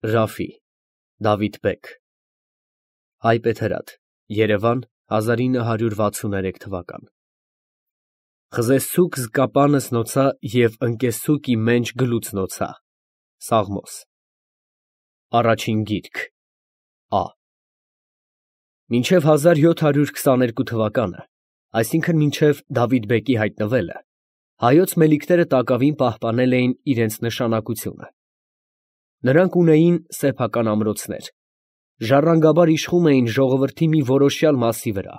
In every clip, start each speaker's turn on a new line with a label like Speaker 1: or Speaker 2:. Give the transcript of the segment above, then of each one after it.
Speaker 1: Ռաֆի Դավիթ բեկ Հայբեթերաթ Երևան 1963 թվական Խզեսցուկ զկապանս նոցա և ընկեսցուկ իմենջ գլուց նոցա Սաղմոս Առաջին գիրք Ա Մինչև 1722 թվականը, այսինքն մինչև Դավիթ բեկի հայտնվելը, հայոց մելիքները տակավին պահպանել էին իրենց նշանակությունը։ Նրանք ունեին սեփական ամրոցներ, ժառանգաբար իշխում էին ժողովրդի մի որոշյալ մասի վրա,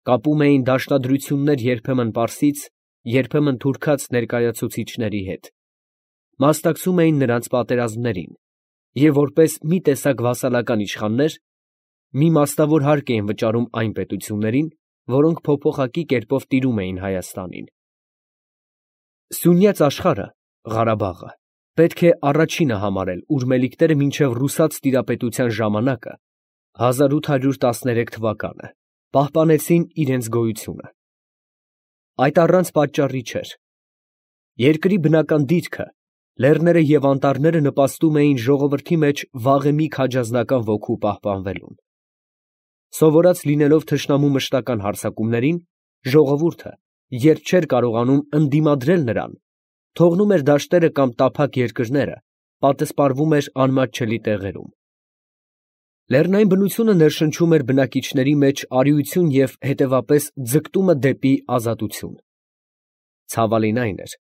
Speaker 1: կապում էին դաշնադրություններ երբեմն պարսից, երբեմն թուրքաց ներկայացուցիչների հետ, մասնակցում էին նրանց պատերազմներին և որպես մի տեսակ վասալական իշխաններ, մի մասնավոր հարկ էին վճարում այն պետություններին, որոնք փոփոխակի կերպով տիրում էին Հայաստանին։ Սյունյաց աշխարհը, Ղարաբաղը, պետք է առաջինը համարել, ուր մելիքները մինչև ռուսաց տիրապետության ժամանակը, 1813 թվականը, պահպանեցին իրենց գոյությունը։ Այդ առանց պատճառի չէր։ Երկրի բնական դիրքը, լեռները և անտառները նպաստում էին ժողովրդի մեջ վաղեմի քաջազնական ոգու պահպանվելուն։ Սովորած լինելով թշնամու մշտական հարձակումներին, ժողովուրդը, երբ չէր կարողանում ընդդիմադրել նրան, թողնում էր դաշտերը կամ տափակ երկրները, պատսպարվում էր անմատչելի տեղերում։ Լեռնային բնությունը ներշնչում էր բնակիչների մեջ արիություն և հետևապես ձգտումը դեպի ազատություն։ Ցավալին այն էր,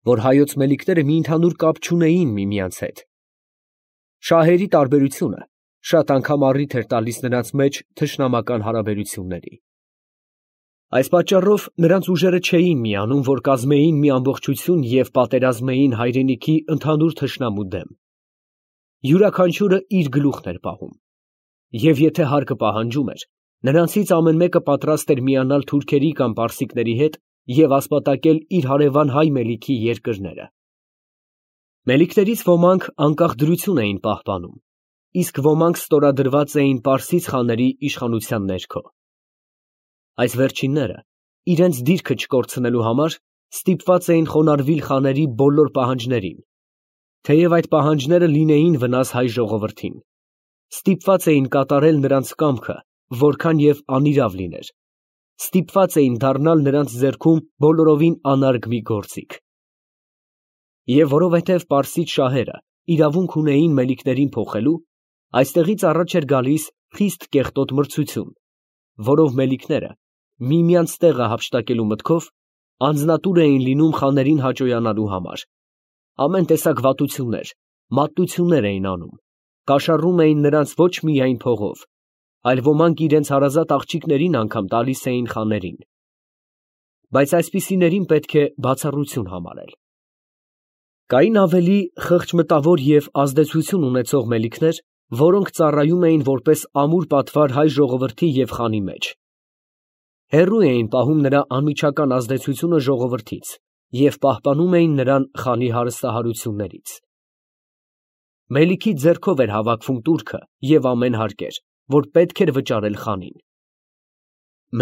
Speaker 1: որ հայոց մելիքները մի ընդհանուր կապ չունեին միմյանց հետ։ Շահերի տարբերությունը շատ անգամ առիթ էր տալիս նրանց մեջ թշնամական հարաբերությունների։ Այս պատճառով նրանց ուժերը չէին միանում, որ կազմեին մի ամբողջություն և պատերազմեին հայրենիքի ընդհանուր թշնամու դեմ։ Յուրաքանչյուրը իր գլուխն էր պահում։ Եվ եթե հարկը պահանջում էր, նրանցից ամեն մեկը պատրաստ էր միանալ թուրքերի կամ պարսիկների հետ և ասպատակել իր հարևան հայ մելիքի երկրները։ Մելիքներից ոմանք անկախ դրություն էին պահպանում, իսկ ոմանք ստորադրված էին պարսից խաների իշխանության ներքո։ Այս վերջինները, իրենց դիրքը չկորցնելու համար, ստիպված էին խոնարհվել խաների բոլոր պահանջներին, թեև այդ պահանջները լինեին վնաս հայ ժողովրդին, ստիպված էին կատարել նրանց կամքը, որքան և անիրավ լիներ, ստիպված էին դառնալ նրանց ձեռքում բոլորովին անարգ մի գործիք։ Եվ որովհետև պարսից շահերը իրավունք ունեին մելիքներին փոխելու, այստեղից առաջ էր գալիս խիստ կեղտոտ մրցություն, որով մելիքները, միմյանց տեղը հափշտակելու մտքով, անձնատուր էին լինում խաներին հաճոյանալու համար, ամեն տեսակ վատություններ, մատնություններ էին անում, կաշառում էին նրանց ոչ միայն փողով, այլ ոմանք իրենց հարազատ աղջիկներին անգամ տալիս էին խաներին։ Բայց այսպիսիներին պետք է բացառություն համարել։ Կային ավելի խղճմտավոր և ազդեցություն ունեցող մելիքներ, որոնք ծառայում էին որպես ամուր պատվար հայ ժողովրդի և խանի մեջ։ Հեռու էին պահում նրա անմիջական ազդեցությունը ժողովրդից և պահպանում էին նրան խանի հարստահարություններից։ Մելիքի ձեռքով էր հավաքվում տուրքը և ամեն հարկեր, որ պետք էր վճարել խանին։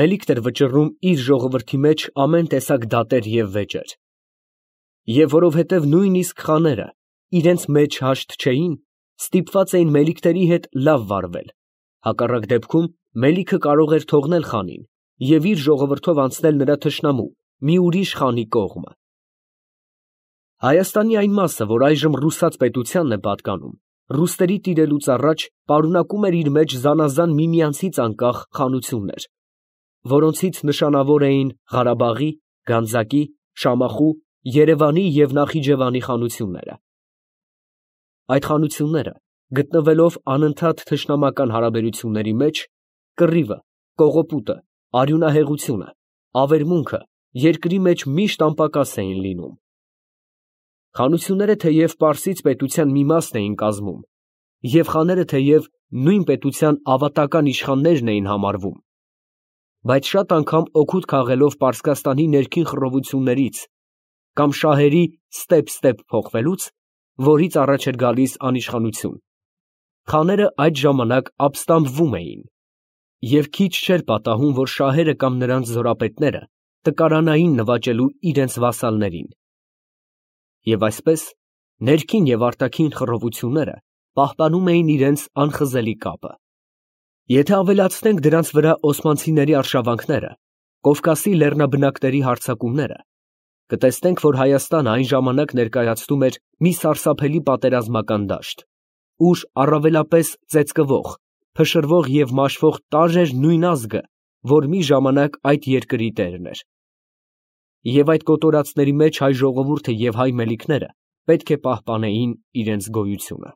Speaker 1: Մելիքն էր վճռում իր ժողովրդի մեջ ամեն տեսակ դատեր և վեճեր։ Եվ որովհետև նույնիսկ խաները իրենց մեջ հաշտ չէին, ստիպված էին մելիքների հետ լավ վարվել, հակառակ դեպքում մելիքը կարող էր թողնել խանին և իր ժողովրդով անցնել նրա թշնամու մի ուրիշ խանի կողմը։ Հայաստանի այն մասը, որ այժմ ռուսաց պետությանն է պատկանում, ռուսների տիրելուց առաջ պարունակում էր իր մեջ զանազան միմյանցից անկախ խանություններ, որոնցից նշանավոր էին Ղարաբաղի, Գանձակի, Շամախու, Երևանի և Նախիջևանի խանությունները։ Այդ խանությունները, գտնվելով անընդհատ թշնամական հարաբերությունների մեջ, կռիվը, կողոպուտը, արյունահեղությունը, ավերմունքը երկրի մեջ միշտ անպակաս էին լինում։ Խանությունները թեև պարսից պետության մի մասն էին կազմում, և խաները թեև նույն պետության ավատական իշխաններն էին համարվում, բայց շատ անգամ օգուտ քաղելով Պարսկաստանի ներքին խռովություններից կամ շահերի ստեպ փոխվելուց, որից առաջ էր գալիս անիշխանություն, խաները այդ ժամանակ ապստամբվում էին և քիչ չէր պատահում, որ շահերը կամ նրանց զորապետները տկարանային նվաճելու իրենց վասալներին։ Եվ այսպես, ներքին և արտաքին խռովությունները պահպանում էին իրենց անխզելի կապը։ Եթե ավելացնենք դրանց վրա օսմանցիների արշավանքները, Կովկասի լեռնաբնակների հարձակումները, կտեսնենք, որ Հայաստանը այն ժամանակ ներկայացնում էր մի սարսափելի պատերազմական դաշտ, ուր առավելապես ծեծկվող, փշրվող և մաշվող տարր էր նույն ազգը, որ մի ժամանակ այդ երկրի տերն էր։ Եվ այդ կոտորածների մեջ հայ ժողովուրդը և հայ մելիքները պետք է պահպանեին իրենց գոյությունը։